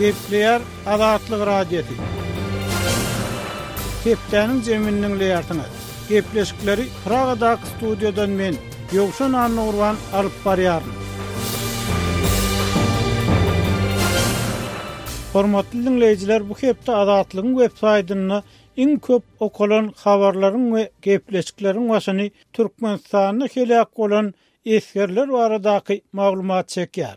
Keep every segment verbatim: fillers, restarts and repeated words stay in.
Gepleýär Azatlyk Radiosy. Hepdäniň jemini diňleýärsiňiz. Gepleşikleri Pragadaky studiýadan men, Ýowşan Annagurban alyp barýaryn. Hormatly diňleýjiler, bu hepde Azatlygyň web saýtynda iň köp okalan habarlaryň we gepleşikleriň başyny Türkmenistanda heläk bolan esgerler baradaky maglumat çekýär.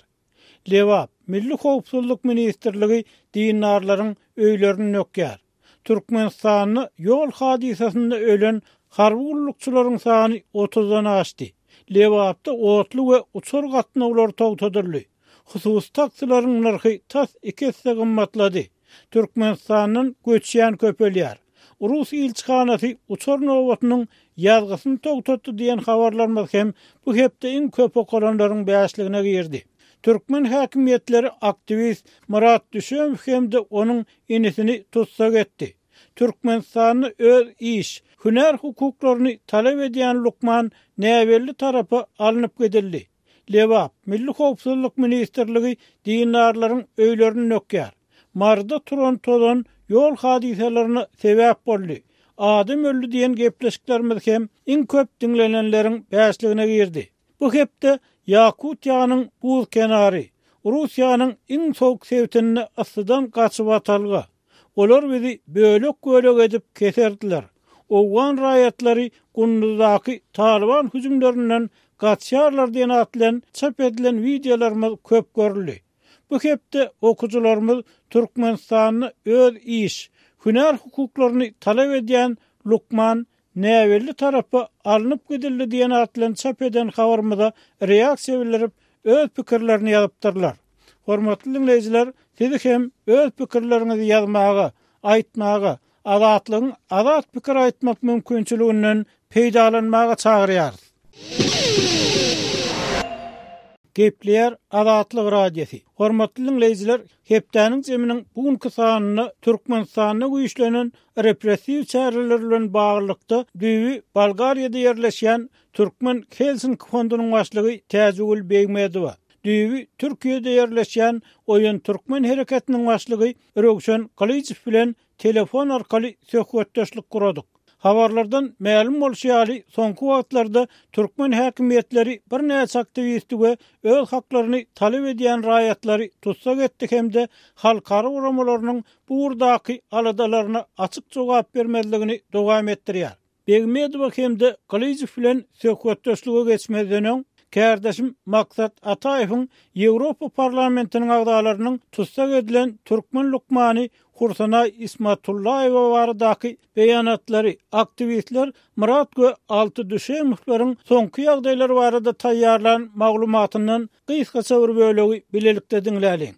Lebap, Milli howpsuzlyk ministrligi dindarlaryň öýlerini dökýär. Türkmenistanda ýol hadysasynda ölen harby gullukçylaryň sany otuzdan aşdy. Lebapda otly we uçar gatnawlary togtadyldy. Hususy taksilaryň nyrhy tas iki esse gymmatlady. Türkmenistandan göçýän köpelýär. Rus ilçihanasy uçar nobatynyň ýazgysyny togtatdy diýen habarlarymyz hem bu hepde iň köp okalanlaryň bäşligine girdi. Türkmen häkimiýetleri aktiwist Myrat Düşemow hem-de onuň inisini tussag etdi. Türkmenistanda öz iş, hünär hukuklaryny talap edýän lukman näbelli tarapa alnyp gidildi. Lebap, Milli howpsuzlyk ministrligi dindarlaryň öýlerini dökýär. Maryda turan tozan ýol hadysalaryna sebäp boldy. Adam öldi diýen gepleşiklerimiz hem iň köp diňlenenleriň bäşligine girdi. Bu hepde Ýakutiýanyň buz kenary, Russiýanyň iň sowuk sebitinde yssydan gaçyp atalga. Olar bizi bölek-bölek edip keserdiler. Owgan raýatlary Gunduzdaky Talyban hüjümlerinden gaçýarlar diýen at bilen çap edilen wideolarymyz köp görüldi. Bu hepde okyjylarymyz Türkmenistanda öz iş, hünär hukuklaryny talap edýän lukman näbelli tarapa alnyp gidildi diýen at bilen çap eden habarymyza reaksiýa bildirip, öz pikirlerini ýazypdyrlar. Hormatly diňleýjiler, sizi hem öz pikirleriňizi ýazmaga, aýtmaga, Azatlygyň azat pikir aýtmak mümkinçiliginden peýdalanmaga çagyrýarys. Gepleýär Azatlyk Radiosy. Hormatly diňleýjiler, hepdäniň jeminiň bu günki sanynda Türkmenistanda güýçlenen repressiw çäreler bilen baglylykda düýbi Bolgariýada ýerleşýän Türkmen Helsinki fondunyň başlygy Täjigül Begmedowa, düýbi Türkiýede ýerleşýän Oýan Türkmen hereketiniň başlygy Röwşen Gylyjow bilen telefon arkaly söhbetdeşlik guradyk. Habarlardan mälim bolşy ýaly, soňky wagtlarda türkmen häkimiýetleri birnäçe aktiwisti we öz haklaryny talap edýän raýatlary tussag etdi hem-de halkara guramalarynyň bu ugurdaky aladalaryna açyk jogap bermezligini dowam etdirýär. Begmedowa hem-de Gylyjow bilen söhbetdeşlige geçmezden öň, kärdeşim Maksat Ataýewiň Ýewropa Parlamentiniň agzalarynyň tussag edilen türkmen lukmany Hursanaý Ismatullaýewa baradaky beýanatlary, aktiwistler Myrat we Alty Düşemowlaryň soňky ýagdaýlary barada taýýarlan maglumatyndan gysgaça bir bölegi bilelikde diňläliň.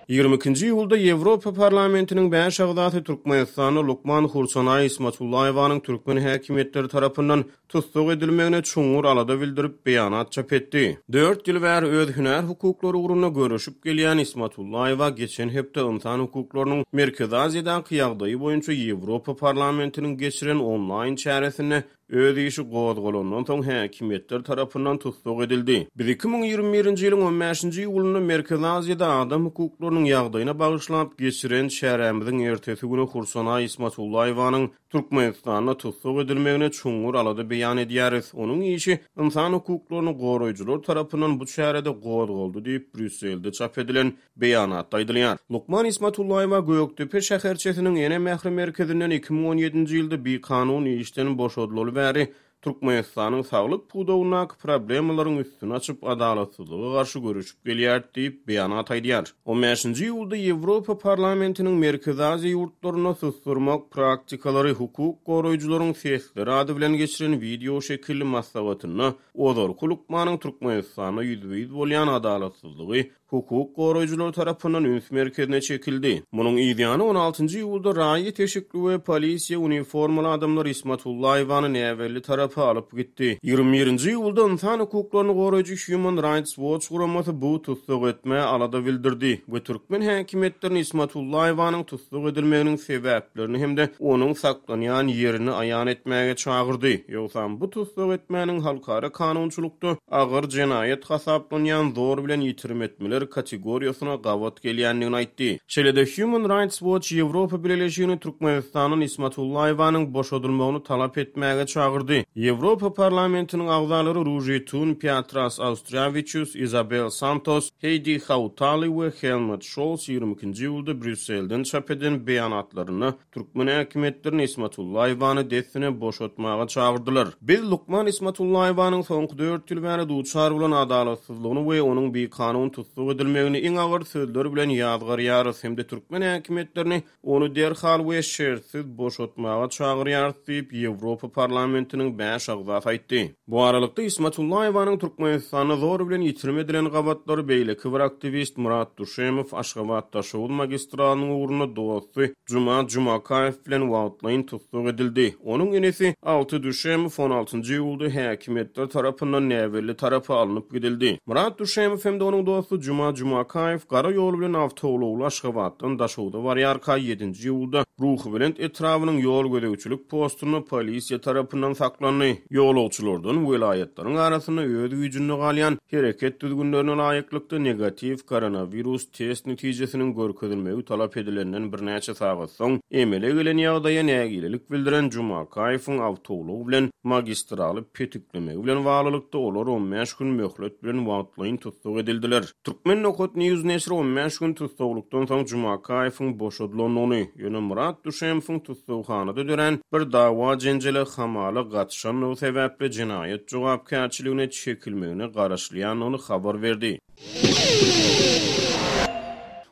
Ýigrimi ikinji iýulda Ýewropa Parlamentiniň bäş agzasy Türkmenistanda lukman Hursanaý Ismatullaýewanyň türkmen häkimiýetleri tarapyndan tussag edilmegine çuňňur alada bildirip, beýanat çap etdi. Dört ýyl bäri öz hünär hukuklary ugrunda göreşip gelýän Ismatullaýewa geçen hepde ynsan hukuklarynyň Merkezi Aziýadaky ýagdaýy boýunça Ýewropa Parlamentiniň geçiren onlaýn çäresinde öz işi gozgalandan soň häkimiýetler tarapyndan tussag edildi. Biz iki müň ýigrimi birinji ýylyň on bäşinji iýulynda Merkezi Aziýada adam hukuklarynyň ýagdaýyna bagyşlap geçiren çärämiziň ertesi güni Hursanaý Ismatullaýewanyň Türkmenistanda tussag edilmegine çuňňur alada beýan edýäris. Onuň işi ynsan hukuklaryny goraýjylar tarapyndan bu çärede gozgaldy diýip, Brýusselde çap edilen beýanatda aýdylýar. Lukman Ismatullaýewa Gökdepe şäherçesiniň Ene mähri merkezinden iki müň on ýedinji ýylda bikanun işden boşadylaly bäri Türkmenistanyň saglyk pudagyndaky problemalaryň üstüni açyp, adalatsyzlyga garşy göreşip gelýär diýip, beýanat aýdýar. On bäşinji iýulda Ýewropa Parlamentiniň Merkezi Aziýa ýurtlarynda susdurmak praktikalary hukuk goraýjylaryň sesleri ady bilen geçiren wideo şekilli maslahatynda ozalky lukmanyň Türkmenistanda ýüzbe-ýüz bolýan adalatsyzlygy hukuk goraýjylar tarapyndan üns merkezine çekildi. Munuň yzýany on altynjy iýulda raýat eşikli we polisiýa uniformaly adamlar Ismatullaýewany näbelli tarapa alyp gitdi. Ýigrimi birinji iýulda ynsan hukuklaryny goraýjy Human Rights Watch guramasy bu tussag etmä alada bildirdi we türkmen häkimiýetlerini Ismatullaýewanyň tussag edilmeginiň sebäplerini hem-de onuň saklanýan ýerini aýan etmäge çagyrdy. Ýogsam bu tussag etmäniň halkara kanunçylykda agyr jenaýat hasaplanýan zor bilen ýitirim etmeler jenaýatlar kategoriýasyna gabat gelýändigini aýtdy. Şeýle-de Human Rights Watch Ýewropa Bileleşigini Türkmenistandan Ismatullaýewanyň boşadylmagyny talap etmäge çagyrdy. Ýewropa Parlamentiniň agzalary Ruži Tun, Piatras Austriawiçius, Izabel Santos, Heýdi Hautali we Helmut Şolz ýigrimi ikinji iýulda Brýusselden çap eden beýanatlarynda türkmen häkimiýetlerini Ismatullaýewany dessine boşatmaga çagyrdylar. Biz lukman Ismatullaýewanyň soňky dört ýyl bäri duçar bolan adalatsyzlygyny we onuň bikanun tussag edilmegini iň agyr sözler bilen ýazgarýarys hem-de türkmen häkimiýetlerini ony derhal we şertsiz boşatmaga çagyrýarys diýip, Ýewropa Parlamentiniň bäş agzasy aýtdy. Bu aralykda, Ismatullaýewanyň Türkmenistanda zor bilen ýitirim edilen gabatlary beýleki bir aktiwist Myrat Duşemow Aşgabat-Daşoguz magistralynyň ugrunda dosty Juma Jumakaýew bilen wagtlaýyn tussag edildi. Onuň inisi Alty Duşemow on altynjy iýulda häkimiýetler tarapyndan näbelli tarapa alnyp gidildi. Myrat Duşemow hem-de onuň dosty Juma Jumakaýew gara ýol bilen awtoulagly Aşgabatdan Daşogza barýarka ýedinji iýulda Ruhubelent etrabynyň ýol gözegçilik postunda polisiýa tarapyndan saklandy. Ýolagçylardan welaýatlaryň arasynda öz güýjünde galýan hereket düzgünlerine laýyklykda negatiw koronawirus test netijesiniň görkezilmegi talap edilenden birnäçe sagat soň emele gelen ýagdaýa nägilelik bildiren Jumakaýewiň awtoulag bilen magistraly petiklemegi bilen baglylykda olar on bäş gün möhlet bilen wagtlaýyn tussag edildiler. Türkmen nokat News neşiri on bäş gün tussaglykdan soň Jumakaýewiň boşadylandygyny, ýöne Myrat Duşemowyň tussaghanada dörän bir dawa-jenjele hamala gatyşandygy sebäpli jenaýat jogapkärçiligine çekilmegine garaşylýandygyny habar berdi.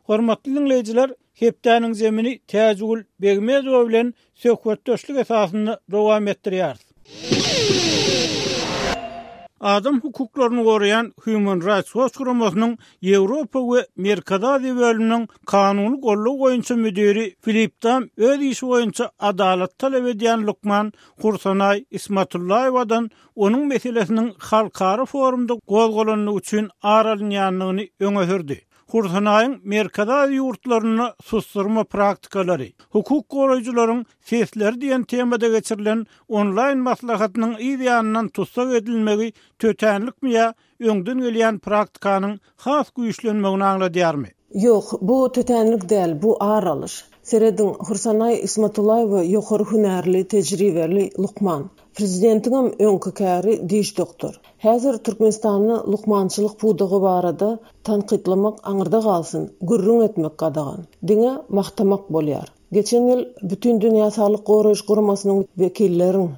Hormatly diňleýjiler, hepdäniň zemini Täjigül Begmezowa bilen söhbetdeşlik esasynda dowam etdirýäris. Adam hukuklaryny goraýan Human Rights Watch guramasynyň Ýewropa we Merkezi Aziýa bölüminiň kanuny goldaw boýunça müdiri Filip Dam öz işi boýunça adalat talap edýän lukman Hursanaý Ismatullaýewadan onuň meselesiniň halkara forumda gozgalandygy üçin ar alynýandygyny öňe sürdi. Hursanaýyň Merkezi Aziýa ýurtlarynda susturma praktikalary, hukuk goraýjylaryň sesleri diýen temada geçirilen onlaýn maslahatynyň yz ýanyndan tussag edilmegi tötänlikmi ýa öňden gelýän praktikanyň has güýçlenmegini aňladýarmy? Ýok, bu tötänlik däl, bu ar alyş. Serediň, Hursanaý Ismatullaýewa ýokary hünärli, tejribeli lukman. Prezidentiňem öňki käri diş doktor. Häzir Türkmenistanda lukmançylyk pudagy barada tankytlamak aňyrda galsyn, gürrüň etmek gadagan. Diňe magtamak bolýar. Geçen ýyl Bütün Dünýä Saglyk Goraýyş Guramasynyň wekilleriň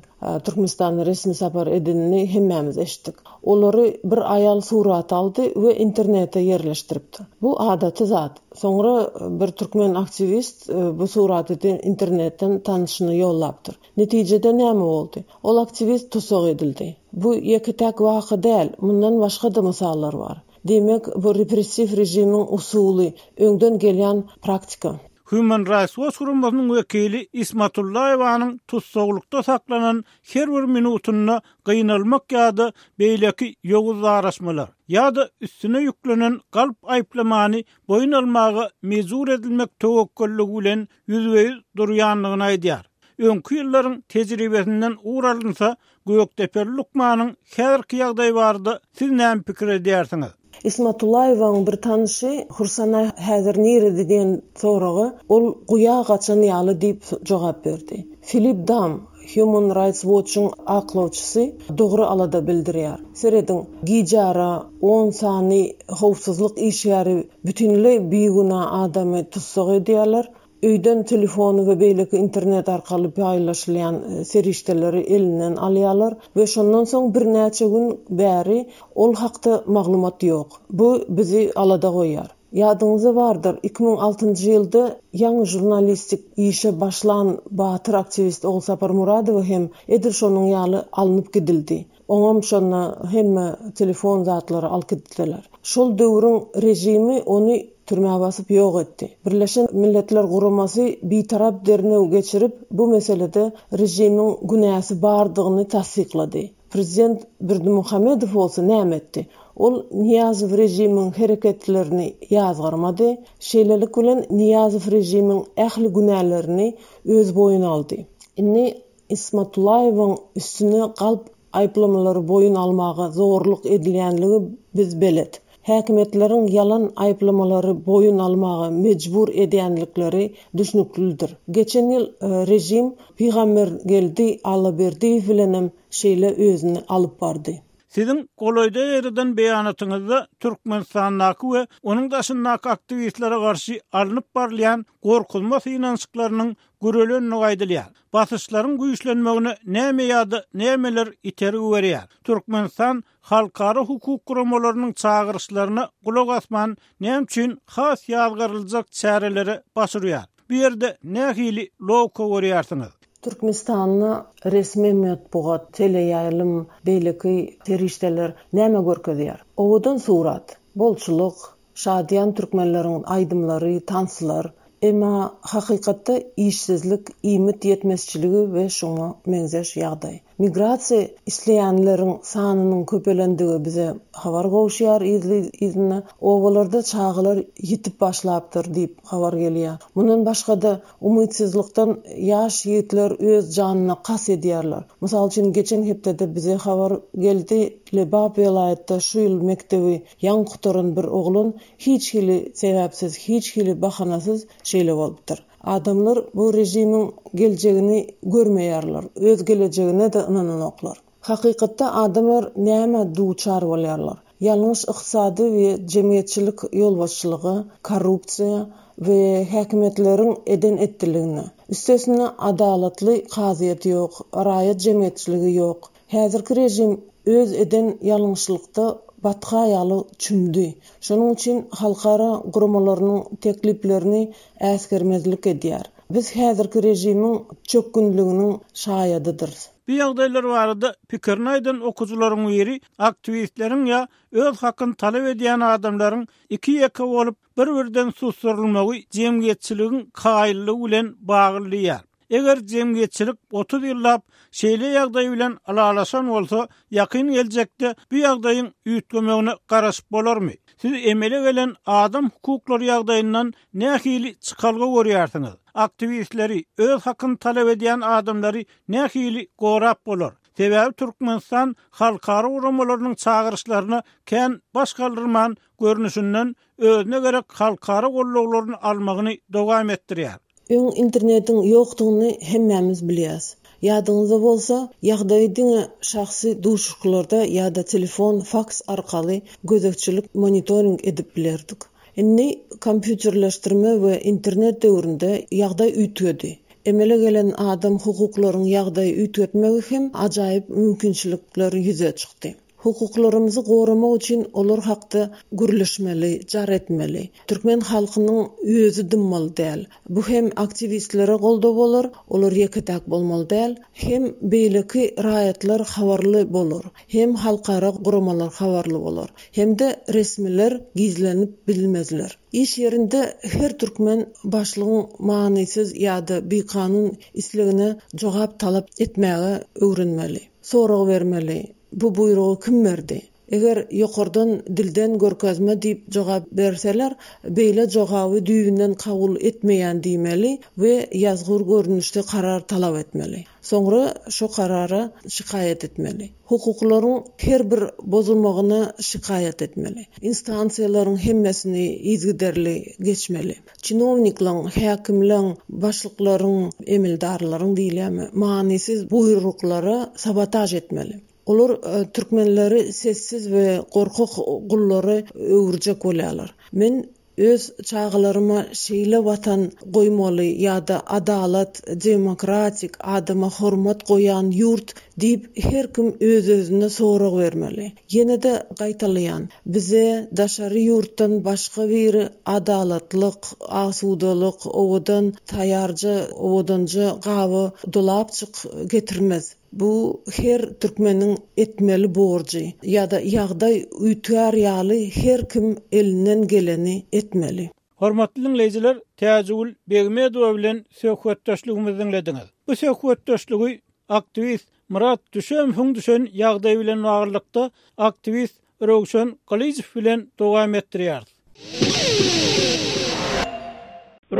Türkmenistanda resmi sapar edenini hemmämiz eşitdik. Olary bir aýal surat aldy we internete ýerleşdiripdi. Bu adaty zat. Soňra bir türkmen aktiwist bu suraty internetden tanyşyny ýollapdyr. Netijede näme boldy? Ol aktiwist tussag edildi. Bu ýeke-täk waka däl, mundan başga-da mysallar bar. Diýmek, bu repressiw režimiň usuly, öňden gelýän praktika. Human Rights Watch guramasynyň wekili Ismatullaýewanyň tussaglykda saklanan her bir minutynda gynalmak ýa-da beýleki ýowuz daraşmalar ýa-da üstüne ýüklenen galp aýyplamany boýun almaga mejbur edilmek töwekgelligi bilen ýüzbe-ýüz durýandygyny aýdýar. Öňki ýyllaryň tejribesinden ugur alynsa, Gökdepeli lukmanyň häzirki ýagdaýy barada siz näme pikir edýärsiňiz? Ismatullaýewanyň bir tanyşy Hursanaý häzir nirede diýen soraga ol guýa gaçan ýaly diýip jogap berdi. Filip Dam, Human Rights Watch'yň aklawçysy dogry alada bildirýär. Serediň, gijara on sany howpsuzlyk işgäri bütinleý bigünä adamy tussag edýärler. Öýden telefony we beýleki internet arkaly paýlaşylýan serişdeleri elinden alýarlar we şondan soň birnäçe gün bäri ol hakda maglumat ýok. Bu bizi alada goýýar. Ýadyňyzda bardyr, iki müň altynjy ýylda ýaňy žurnalistik işe başlan batyr aktiwist Ogulsapar Muradowa hem edil şonuň ýaly alnyp gidildi. Oňam şonda hemme telefon zatlary alyp gitdiler. Şol döwrüň režimi ony türmä basyp ýok etdi. Birleşen Milletler Guramasy bitarap derňew geçirip, bu meselede režimiň günäsi bardygyny tassyklady. Prezident Berdimuhamedow bolsa näme etdi? Ol Niýazow režimiň hereketlerini ýazgarmady. Şeýlelik bilen Niýazow režimiň ähli günälerini öz boýuna aldy. Indi Ismatullaýewiň üstüne galp aýyplamalary boýun almaga zorluk edilýänligi biz belet. Häkimiýetleriň ýalan aýyplamalary boýun almaga mejbur edýänlikleri düşnüklidir. Geçen ýyl režim Pygambergeldi Allaberdiýew bilenem şeýle özüni alyp bardy. Siziň golaýda ýerden beýanatyňyzda Türkmenistandaky we onuň daşyndaky aktiwistlere garşy alnyp barylýan gorkuzma synanyşyklarynyň gürelendigi aýdylýar. Basyşlaryň güýçlenmegine näme ýa-da nämeler itergi berýär? Türkmenistan halkara hukuk guramalarynyň çagyryşlaryna gulak asman näme üçin has ýazgaryljak çärelere baş urýar? Bu ýerde nähili logika görýärsiňiz? Türkmenistanda resmi metbugat, teleýaýlym, beýleki serişdeler näme görkezýär? Owadan surat, bolçulyk, şadyýan türkmenleriň aýdymlary, tanslar, emma hakykatda işsizlik, iýmit ýetmezçiligi we şoňa meňzeş ýagdaý. Migrasiýa isleýänleriň sanynyň köpelendigi bize habar gowşýar yzly-yzyna. Obalarda çagalar ýitip başlapdyr diýip habar gelýär. Mundan başga-da umytsyzlykdan ýaş ýigitler öz janyna kas edýärler. Mysal üçin geçen hepdede bize habar geldi, Lebap welaýatda şu ýyl mekdebi ýaňy gutaran bir oglan hiç hili sebäpsiz, hiç hili bahanasyz şeýle bolupdyr. Adamlar bu režimiň geljegini görmeýärler, öz gelejegine-de ynananoklar. Hakykatda adamlar näme duçar bolýarlar? Ýalňyş ykdysady we jemgyýetçilik ýolbaşçylygy, korrupsiýa we häkimiýetleriň eden etdiligine. Üstesine adalatly kazyýet ýok, raýat jemgyýetçiligi ýok. Häzirki režim öz eden ýalňyşlykda batga ýaly çümdi. Şonuň üçin halkara guramalarynyň tekliplerini äsgermezlik edýär. Biz häzirki režimiň çökgünliginiň şaýadydyrys. Bu ýagdaýlar barada pikirini aýdan okujylaryň biri aktiwistleriň ýa öz hakyny talap edýän adamlaryň iki ýeke bolup bir-birden susturylmagy jemgyýetçiligiň kaýyllygy bilen bagly. Eger jemgyýetçilik otuz ýyllap şeýle ýagdaý bilen ylalaşan bolsa, ýakyn geljekde bu ýagdaýyň üýtgemegine garaşyp bolarmy? Siz emele gelen adam hukuklary ýagdaýyndan nähili çykalga görýärsiňiz? Aktiwistleri, öz hakyny talap edýän adamlary nähili gorap bolar? Sebäbi Türkmenistan halkara guramalarynyň çagyryşlaryna kän baş galdyrman görnüşinden özüne gerek halkara gollaglaryny almagyny dowam etdirýär. Öň internetiň ýokdugyny hemmämiz bilýäs. Ýadyňyzda bolsa, ýagdaýy diňe şahsy duşuşyklarda ýa-da telefon, faks arkaly gözegçilik, monitoring edip bilerdik. Indi kompýuterleşdirme we internet döwründe ýagdaý üýtgedi. Emele gelen adam hukuklaryň ýagdaýy üýtgetmegi hem ajaýyp mümkinçilikler ýüze çykdy. Hukuklarymyzy goramak üçin olar hakda gürleşmeli, jar etmeli. Türkmen halkynyň özi dymmaly däl. Bu hem aktiwistlere goldaw bolar, olar ýeke-täk bolmaly däl, hem beýleki raýatlar habarly bolar, hem halkara guramalar habarly bolar, hem-de resmiler gizlenip bilmezler. Iş ýerinde her türkmen başlygyň manysyz ýa-da bikanun islegine jogap talap etmäge öwrenmeli. Sorag bermeli. Bu buýrugy kim berdi? Eger ýokardan dilden görkezme diýip jogap berseler, beýle jogaby düýbünden kabul etmeýän diýmeli we ýazgyr görnüşde karar talap etmeli. Soňra şu karara şikaýat etmeli. Hukuklaryň her bir bozulmagyna şikaýat etmeli. Instansiýalaryň hemmesini yzygiderli geçmeli. Çinowniklaryň, häkimleriň, başlyklaryň, emeldarlaryň diýilýärmi, manysyz buýruklara sabotaž etmeli. Olar, e, türkmenleri sessiz we gorkak gullary öwürjek bolýarlar. Men öz çagalaryma şeýle watan goýmaly ýa-da adalat, demokratik, adama hormat goýan ýurt diýip her kim öz-özüne sorag bermeli. Ýene-de gaýtalaýan, bize daşary ýurtdan başga bir adalatlyk, asudalyk, owadan taýýarja, owadanja gaby dolapçyk getirmez. Bu her türkmeniň etmeli borjy ýa-da ýagdaý üýtgär ýaly her kim elinden geleni etmeli. Hormatly dinleýjiler, Täjigül Begmedowa bilen söhbetdeşligimizi dinlediňiz. Bu söhbetdeşligi aktiwist Murat Düşemowyň düşen ýagdaý bilen baglylykda aktiwist Röwşen Gylyjow bilen dowam etdirýäris.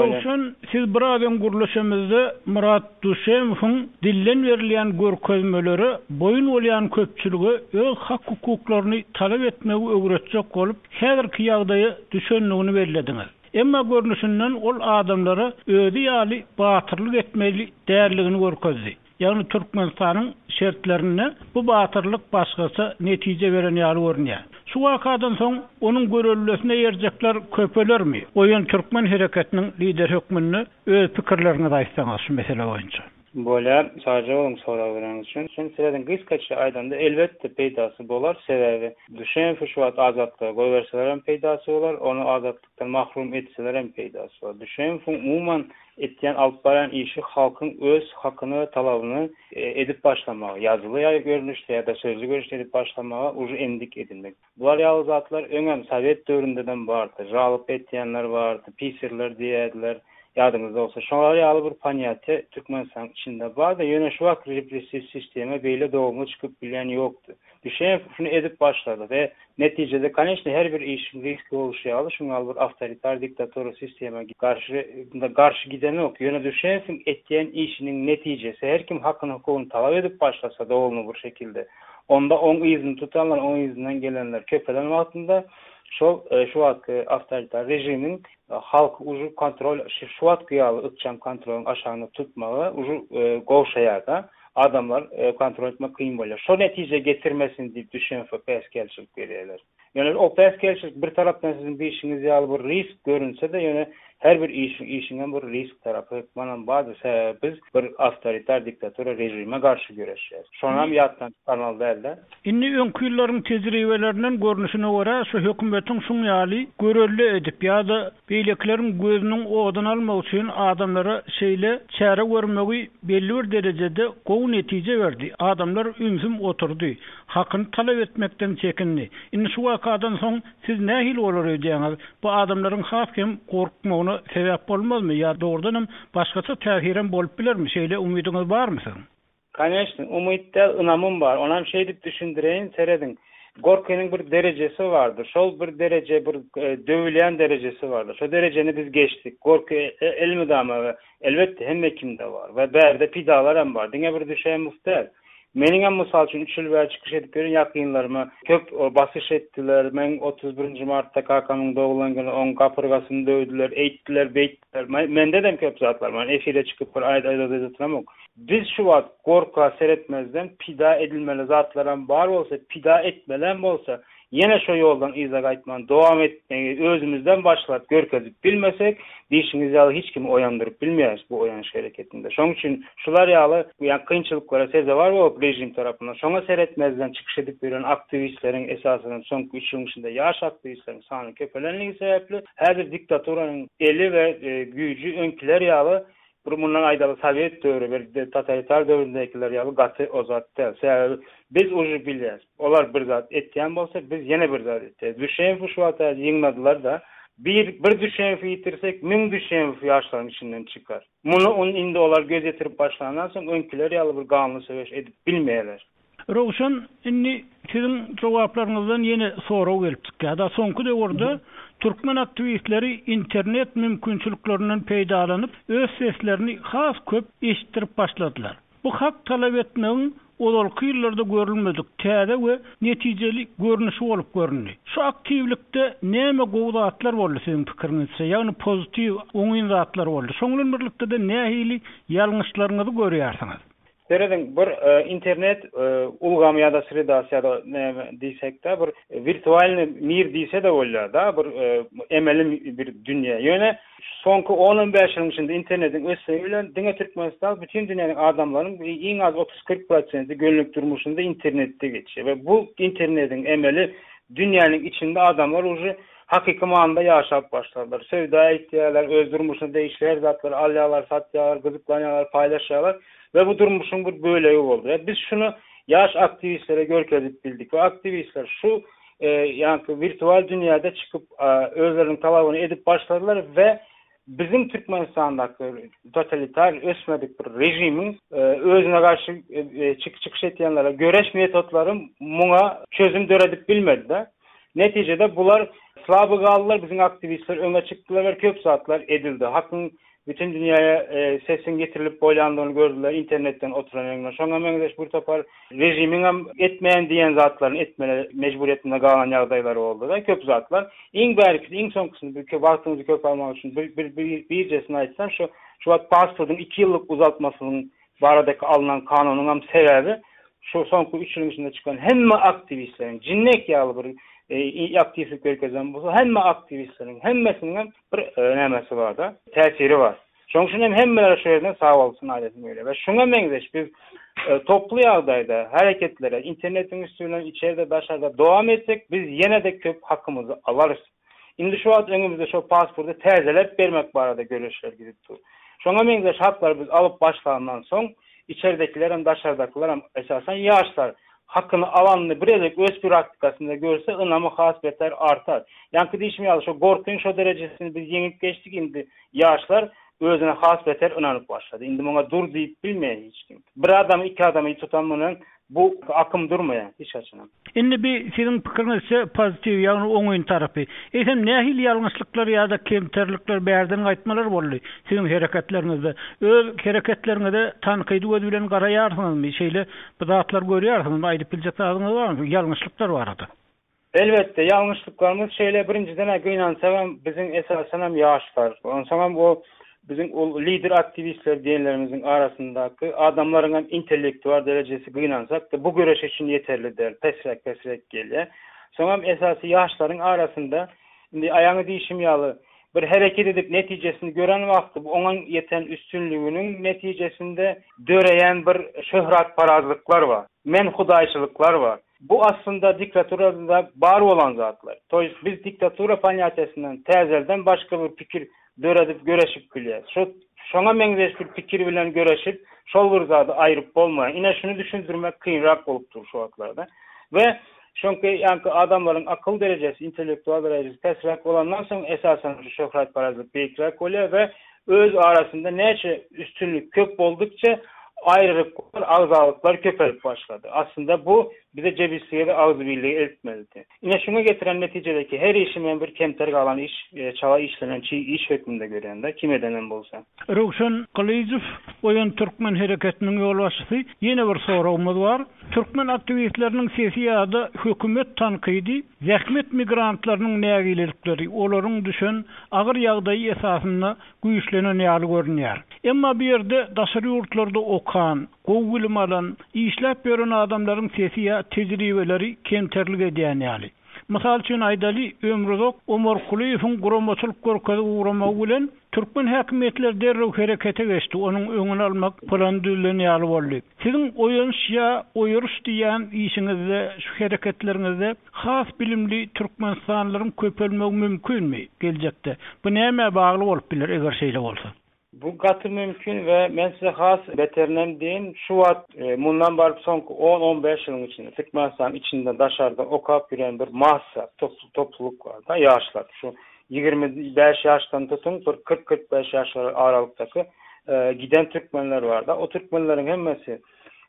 Röwşen, siz biraz öň gürleşemizde Murat Duşemowyň dilden berilýän görkezmelere boýun bolýan köpçülige öz hak-hukuklaryny talap etmegi öwretjek bolup, häzirki ýagdaýa düşendigini bellediňiz. Emma görnüşinden ol adamlara özi ýaly batyrlyk etmeli däldigini görkezdi. Ýagny Türkmenistanyň şertlerinde bu batyrlyk başgaça netije beren ýaly görünýär. Şu wakadan soň onuň görellesine ýerjekler köpelermi? Oýun Türkmen hereketiniň lider hökmünde öz pikirleriňizi aýtsaňyz şu mesele boýunça. Bolýar, sadece onuň sorag beren üçin. Sen serediň gysgaça aýdanda elbetde peýdasy bolar, sebäbi Düşemow şu wagt azatlyga goýberseler hem peýdasy bolar, ony azatlykdan mahrum etseler hem peýdasy bolar. Düşemowyň umuman etýän alyp barýan işi halkyň öz hakyny we talabyny e, edip başlamagy, ýazyly ýa görnüşde ýa-da sözlü görnüşde edip başlamagy uje endik edinmek. Bular ýaly zatlar öňem Sowet döwründeden bardy. Jalyp etýänler bardy, pisirler diýerdiler. Ýadyňyzda bolsa, şolar ýaly bir ponýatiýa Türkmenistanyň içinde bardy. Ýöne şu wagt repressiw sistema beýle dogumly çykyp bilýän ýokdy. Düşemow şunu edip başlady we netijede koneçne her bir işiň riski boluşy ýaly şuňa bir awtoritar diktatura sistema garşy garşy giden ýok. Ýöne Düşemowyň etýän işiniň netijesi her kim hakyny hukugyny talap edip başlasa dogumly bir şekilde. Onda oň yzyny tutanlar, oň yzyndan gelenler köpelen wagtynda şol e, şu wagtky awtoritar režimiň e, halk uju kontrol şu wagtky ýaly ykjam kontrolyň aşagyny tutmagy uju e, gowşaýar adamlar e, kontrol etmek kyn bolýar. Şo netije getirmesin diýip Düşemowa päsgelçilik berýärler. Ýöne o päsgelçilik bir tarapdan siziň diýişiňiz ýaly bir risk görünse de ýöne her bir işiň işiň bir risk tarapy hökman bardyr. Sebäbi biz bir awtoritar diktatura rejime garşy göreşýäris. Şonam ýatdan çykarmaly däldi. Indi öňki ýyllaryň tejribelerinden görnüşine görä şu hökümetiň şuň ýaly görelde edip ýa-da beýlekileriň gözüniň oduny almak üçin adamlara şeýle çäre görmegi belli bir derejede gowy netije berdi. Adamlar ünsüm oturdy. Hakyny talap etmekden çekindi. Indi şu wakadan soň siz nähili bolar öýdýäňiz? Bu adamlaryň has hem gorkmagyna sebäp bolmazmy ýa dogrudan hem başgaça täsirem bolup bilermi? Şeýle umydyňyz barmy siziň? Koneçne, umyt däl, ynamym bar. Onam şey diýip düşündireýin, serediň. Gorkynyň bir derejesi bardyr. Şol bir dereje bir e, döwülýän derejesi bardyr. Şo derejeni biz geçdik. Gorky e, elmydama we elbetde hemme kimde bar we bärde pidalar hem bar. Diňe bir Düşemow däl. Meniň hem mysal üçin üç ýyl bäri çykyş edip ýören ýakynlaryma köp o, basyş etdiler. Men otuz birinji martda kakamyň doglan güni oň gapyrgasyny döwdüler, eýtdiler, beýtdiler. Mende de köp zatlar bar. Efire çykyp bir aýda aýda oturamok. Biz şu wagt gorka seretmezden pida edilmeli zatlaram bar bolsa, pida etmelem bolsa, ýene şu ýoldan yza gaýtman dowam etmegi özümizden başlap görkezip bilmesek, diýişiňiz ýaly hiç kimi oýandyryp bilmeýäris bu oýanyş hereketinde. Şonuň üçin şular ýaly ýa kynçylyklara sezewar bolup rejim tarapyndan şoňa seretmezden çykyş edip ýören aktiwistleriň esasyny soňky üç ýylyň içinde ýaş aktiwistleriň sany köpelenligi sebäpli häzir diktaturanyň eli we e, güýji öňküler ýaly bir mundan aýdaly Sowet döwri bir totalitar döwründekiler ýaly gaty ozat däl. Sebäbi biz uje bilýäris. Olar bir zat etýän bolsa biz ýene bir zat etýäris. Düşemow şu wagt ýygnadilar da bir bir Düşemowy ýitirsek müň Düşemow ýaşlaryň içinden çykar. Muny on indi olar göz ýetirip başlandan soň öňküler ýaly bir ganly söweş edip bilmeýärler. Röwşen, indi siziň jogaplaryňyzdan ýene sorag gelip çykýar. Da soňky döwürde türkmen aktiwistleri internet mümkinçiliklerinden peýdalanyp, öz seslerini has köp eşitdirip başladylar. Bu hak talap etmegiň ozalky ýyllarda görülmedik täze we netijeli görnüşi bolup göründi. Şu aktiwlikde näme gowy zatlar boldy siziň pikiriňizçe? Ýagny pozitiw oňyn zatlar boldy. Şonuň bilen birlikde de nähili ýalňyşlaryňyzy görýärsiňiz? Serediň bir e, internet e, ulgamy ýa-da sredasy ýa-da näme diýsek-de bir wirtualny mir diýse de bolýar da bir e, emeli bir dünýä. Ýöne soňky on on bäş ýylyň içinde internetiň ösmegi bilen diňe Türkmenistan bütün dünýäniň adamlaryň iň az otuz kyrk prosenti günlük durmuşynda internetde geçýär we bu internetiň emeli dünýäniň içinde adamlar uje hakyky manyda ýaşap başladylar. Söwda etýärler, öz durmuşyna degişli her zatlary alýarlar, satýarlar, gyzyklanýarlar, paýlaşýarlar we bu durmuşyň bir bölegi boldy. We biz şunu ýaş aktiwistlere görkezip bildik we aktiwistler şu e, ýa-ni wirtual dünýäde çykyp, e, özleriniň talabyny edip başladylar we bizim Türkmenistandaky totalitar ösmedik bir rejimiň, e, özüne garşy, e, e, çyk-, çykyş etýänlere göreş metodlary muňa çözüm döredip bilmedi-de. Netijede bular slaby galdylar, biziň aktiwistler öňe çykdylar we köp zatlar edildi. Hakyň bütün dünýäye e, sesin getirilip bolýandygyny gördüler internetden oturan öňüne. Şoňa meňzeş bir topar režimiň hem etmeýän diýen zatlaryny etmeli mejburiýetinde galan ýagdaýlary boldy da köp zatlar. Iň bärkisi, iň soňkusyny bir wagtyňyzy köp almak üçin bir bir bir birjesini aýtsam şu şu wagt pasportyň iki ýyllyk uzaltmasynyň baradaky alynan kanunyň hem sebäbi şu soňky üç ýylyň içinde çykan hemme aktiwistleriň jinnek ýaly bir e, aktiwlik görkezen bolsa hemme aktiwistleriň hemmesiniň hem bir e, nämesi bar da, täsiri bar. Şonuň üçin hem hemmeler şu ýerden sag bolsun aýdasym gelýär. We şuňa meňzeş biz e, toplu ýagdaýda hareketlere internetiň üstü bilen içeride daşarda dowam etsek biz ýene de köp hakymyzy alarys. Indi şu wagt öňümizde şu pasporty täzeläp bermek barada görüşler gidip dur. Şoňa meňzeş haklary biz alyp başlandan soň içeridekiler hem daşardakylar hem esasen ýaşlar hakyny alanyny bir gezek öz praktikasynda görse ynamy has beter artar. Ýaňky diýişim ýaly şu gorkyň şo derejesini biz ýeňip geçdik indi ýaşlar özüne has beter ynanyp başlady. Indi muňa dur diýip bilmeýär hiç kim. Bir adamy iki adamy tutan munuň bu akym durmaýar hiç haçan. Indi bir siziň pikiriňizçe pozitiw, ýagny oňyn tarapy. Eýsem nähili ýalňyşlyklar ýa-da kemterlikler bärden gaýtmalar boldy siziň hereketleriňizde? Öz hereketleriňize tankydy göz bilen garaýarsyňyzmy? Şeýle bir zatlar görýärsiňizmi? Aýdyp biljek zadyňyz barmy? Ýalňyşlyklar barada. Elbetde ýalňyşlyklarymyz şeýle birinjiden gynansagam biziň esasan hem ýaşlar. Onsoň hem o biziň ol lider aktiwistler diýenlerimiziň arasyndaky adamlaryň hem intellektual derejesi gynansak da bu göreş üçin ýeterli däl, pesräk pesräk gelýär. Soň hem esasy ýaşlaryň arasynda indi aýaňy diýişim ýaly bir hereket edip netijesini gören wagty bu oňa ýeten üstünliginiň netijesinde döreýän bir şöhratparazlyklar bar. Men hudaýçylyklar bar. Bu aslında diktaturada bar olan zatlar. To jest biz diktatura ponятiyesinden täzelden başga bir pikir döredip göreşip bilýär. Şu şoňa meňzeş bir pikir bilen göreşip şol bir zady aýryp bolmaýar. Ine şunu düşündirmek kynrak bolup dur şu wagtlarda. We çünki ýaňky adamlaryň akyl derejesi, intellektual derejesi pesräk bolandan soň esasen şu şöhratparazlyk beýikräk bolýar we öz arasynda näçe üstünlik köp boldukça ayrılıklar, agzalyklar köpelip başlady. Aslında bu bize cebisliğe ve agzybirliğe eltmelidi. Ine şuna getiren netijedeki her işi bir kemter galan iş, e, çala işlenen çiğ iş hökmünde görýän kim edenen bolsa. Röwşen Gylyjow Oýan Türkmen hereketiniň ýolbaşçysy ýene bir soragymyz bar. Türkmen aktiwistleriniň sesi ýa-da hökümet tankydy zähmet migrantlarynyň nägilelikleri, olaryň düşen agyr ýagdaýy esasynda güýçlenen ýaly görünýär. Emma bu ýerde daşary ýurtlarda okan, gowy bilim alan, işläp ýören adamlaryň sesi ýa tejribeleri kemterlik edýän ýaly. Mysal üçin aýdaly Ömruzok Omar Kulyýewiň guramaçylyk görkezip ugramagy bilen türkmen häkimiýetleri derrew herekete geçdi. Onuň öňüni almak plany düzülen ýaly boldy. Siziň oýanyş ýa oýuruş diýen işiňizde, şu hereketleriňizde has bilimli Türkmenistanlylaryň köpelmegi mümkinmi geljekde? Bu näme bagly bolup biler eger şeýle bolsa? Bu gaty mümkin we men size has beterinem diýin, şu wagt e, mundan baryp soňky on on beş ýylyň içinde Türkmenistan içinde daşarda okap ýören bir massa topluluk bar da ýaşlar. Şu ýigrimi bäş ýaşdan tutun bir kyrk kyrk bäş ýaşlar aralykdaky, e, giden türkmenler bar da. O türkmenleriň hemmesi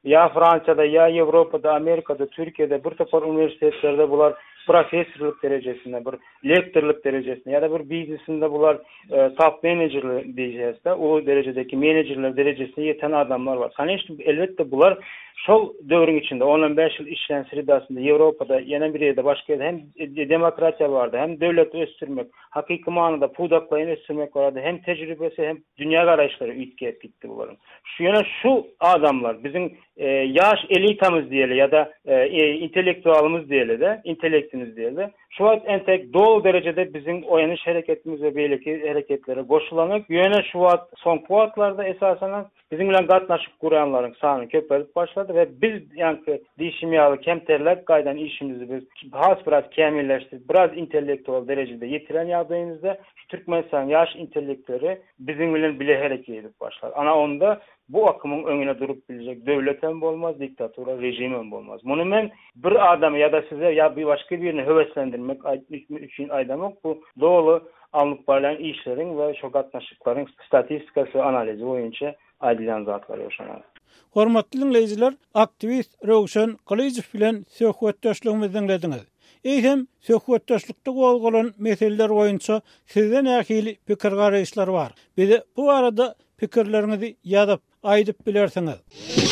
ýa Fransiyada, ýa Ýewropada, Amerikada, Türkiýede bir topar uniwersitetlerde bular professorlyk derejesinde, bir lektorlyk derejesinde ýa da bir biznesinde bular, e, top menejerler diýeceğiz de, o derejedeki menejerler derejesine ýeten adamlar bar. Конечно, elbetde bular şol döwrüň içinde on on bäş ýyl işlän sredasynda Ýewropada, ýene bir ýerde başga ýerde hem demokratiýa bardy, hem döwleti ösdürmek, hakyky manyda pudaklaýyn ösdürmek bardy, hem tejribesi, hem dünýä garaýyşlary üýtgäp gitdi bularyň. Şu ýöne şu adamlar biziň, e, ýaş elitamyz diýeli ýa da, e, e, intellektualymyz diýeli de, intellektimiz diýeli. Şu wagt entek doly derejede biziň oýanyş hereketimiz we beýleki hereketlere goşulanyp, ýöne şu wagt soňky wagtlarda esasen biziň bilen gatnaşyp gurýanlaryň sany köpelip başlady we biz ýaňky diýişim ýaly kemterlep gaýdan işimizi biz has biraz kämilleşdirip, biraz intellektual derejede ýetiren ýagdaýymyzda şu Türkmenistan ýaş intellektleri biziň bilen bile hereket edip başlar. Ana onda bu akymyň öňüne durup biljek döwlet hem bolmaz, diktatura rejim hem bolmaz. Muny men bir adamy ýa da size ýa bir başga birini höweslendirmek üçin aýdamak, bu doly alnyp barýan işleriň we şo gatnaşyklaryň statistikasy analizi boýunça aýdylýan zatlar ýoşanar. Hormatly dinleýjiler, aktiwist Röwşen Gylyjow bilen söhbetdeşligimizi dinlediňiz. Eýsem, söhbetdeşlikde gozgalan meseleler boýunça sizde nähili pikir-garaýyşlar bar? Bize bu barada pikirleriňizi ýazyp, aýdyp bilersiňiz.